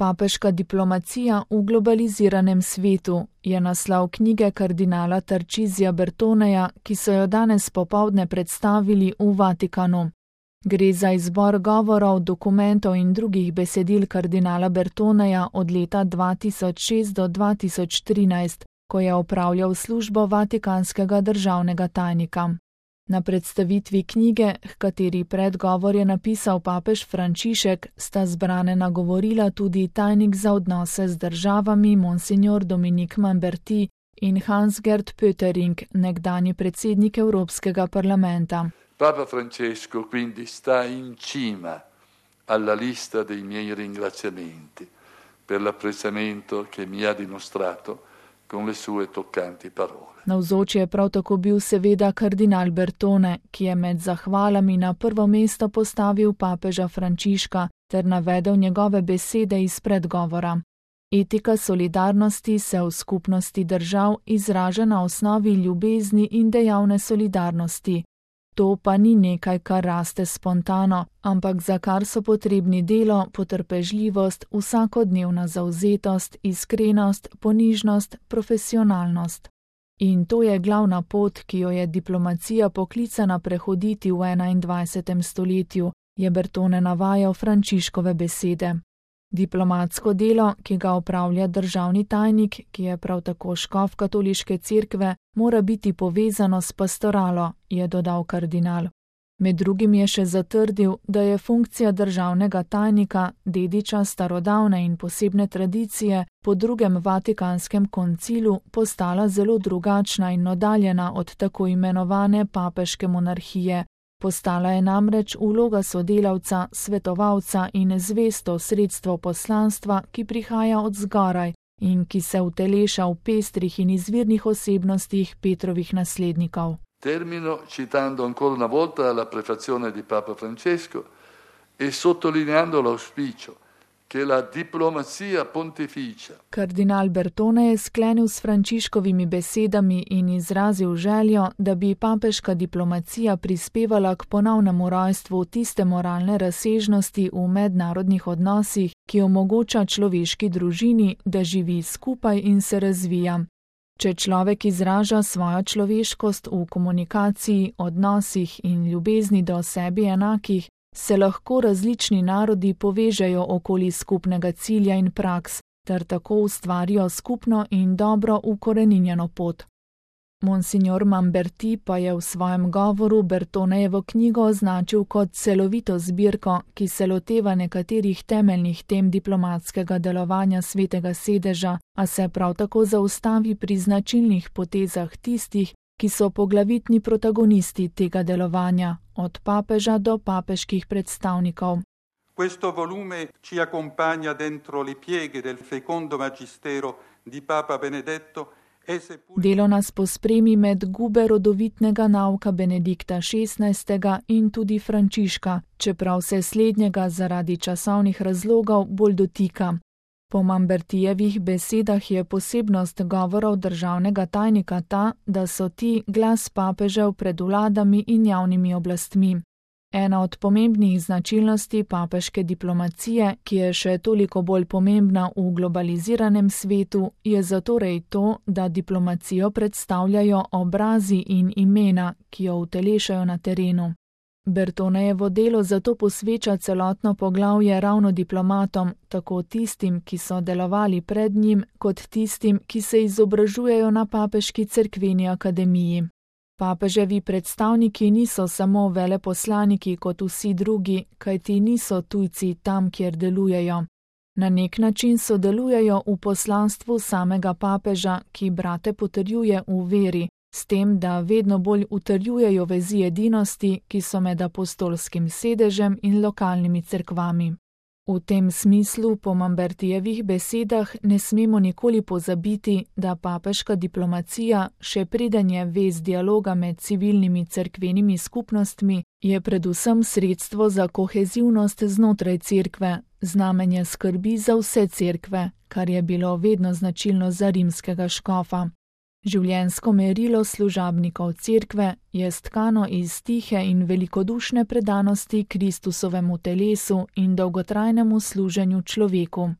Papeška diplomacija v globaliziranem svetu je naslov knjige kardinala Tarcisija Bertoneja, ki so jo danes popoldne predstavili v Vatikanu. Gre za izbor govorov, dokumentov in drugih besedil kardinala Bertoneja od leta 2006 do 2013, ko je opravljal službo vatikanskega državnega tajnika. Na predstavitvi knjige, h kateri predgovor je napisal papež Frančišek, sta zbrane nagovorila tudi tajnik za odnose z državami Monsignor Dominique Mamberti in Hans-Gert Pöttering, nekdanji predsednik Evropskega parlamenta. Papa Francesco quindi sta in cima alla lista dei miei ringraziamenti per l'apprezzamento che mi ha dimostrato con le sue toccanti parole. Navzoč je prav tako bil seveda kardinal Bertone, ki je med zahvalami na prvo mesto postavil papeža Frančiška ter navedel njegove besede iz predgovora. Etika solidarnosti se v skupnosti držav izraža na osnovi ljubezni in dejavne solidarnosti. To pa ni nekaj, kar raste spontano, ampak za kar so potrebni delo, potrpežljivost, vsakodnevna zavzetost, iskrenost, ponižnost, profesionalnost. In to je glavna pot, ki jo je diplomacija poklicana prehoditi v 21. stoletju, je Bertone navajal Frančiškove besede. Diplomatsko delo, ki ga opravlja državni tajnik, ki je prav tako škof katoliške cerkve, mora biti povezano s pastoralo, je dodal kardinal. Med drugim je še zatrdil, da je funkcija državnega tajnika, dediča starodavne in posebne tradicije, po drugem Vatikanskem koncilu postala zelo drugačna in oddaljena od tako imenovane papeške monarhije. Postala je namreč vloga sodelavca, svetovalca in zvesto sredstvo poslanstva, ki prihaja od zgoraj in ki se uteleša v pestrih in izvirnih osebnostih Petrovih naslednikov. Termino citando ancora una volta la prefazione di Papa Francesco e sottolineando l'auspicio che la diplomazia pontificia. Kardinal Bertone je sklenil s Frančiškovimi besedami in izrazil željo, da bi papeška diplomacija prispevala k ponovnemu rojstvu tiste moralne razsežnosti v mednarodnih odnosih, ki omogoča človeški družini, da živi skupaj in se razvija. Če človek izraža svojo človeškost v komunikaciji, odnosih in ljubezni do sebi enakih, se lahko različni narodi povežejo okoli skupnega cilja in praks, ter tako ustvarijo skupno in dobro ukoreninjeno pot. Monsignor Mamberti pa je v svojem govoru Bertonejevo knjigo označil kot celovito zbirko, ki se loteva nekaterih temeljnih tem diplomatskega delovanja Svetega sedeža, a se prav tako zaustavi pri značilnih potezah tistih, ki so poglavitni protagonisti tega delovanja, od papeža do papeških predstavnikov. Questo volume ci accompagna dentro le pieghe del fecondo magistero di Papa Benedetto. Delo nas pospremi med gube rodovitnega nauka Benedikta XVI. In tudi Frančiška, čeprav se slednjega zaradi časovnih razlogov bolj dotika. Po Mambertijevih besedah je posebnost govorov državnega tajnika ta, da so ti glas papežev pred vladami in javnimi oblastmi. Ena od pomembnih značilnosti papeške diplomacije, ki je še toliko bolj pomembna v globaliziranem svetu, je zatorej to, da diplomacijo predstavljajo obrazi in imena, ki jo utelešajo na terenu. Bertonejevo delo zato posveča celotno poglavje ravno diplomatom, tako tistim, ki so delovali pred njim, kot tistim, ki se izobražujejo na papeški cerkveni akademiji. Papeževi predstavniki niso samo veleposlaniki kot vsi drugi, kajti niso tujci tam, kjer delujejo. Na nek način sodelujejo v poslanstvu samega papeža, ki brate potrjuje v veri, s tem, da vedno bolj utrjujejo vezi edinosti, ki so med apostolskim sedežem in lokalnimi cerkvami. V tem smislu, po Mambertijevih besedah, ne smemo nikoli pozabiti, da papeška diplomacija, še preden je vez dialoga med civilnimi cerkvenimi skupnostmi, je predvsem sredstvo za kohezivnost znotraj cerkve, znamenje skrbi za vse cerkve, kar je bilo vedno značilno za rimskega škofa. Življenjsko merilo služabnikov cerkve je stkano iz tihe in velikodušne predanosti Kristusovemu telesu in dolgotrajnemu služenju človeku.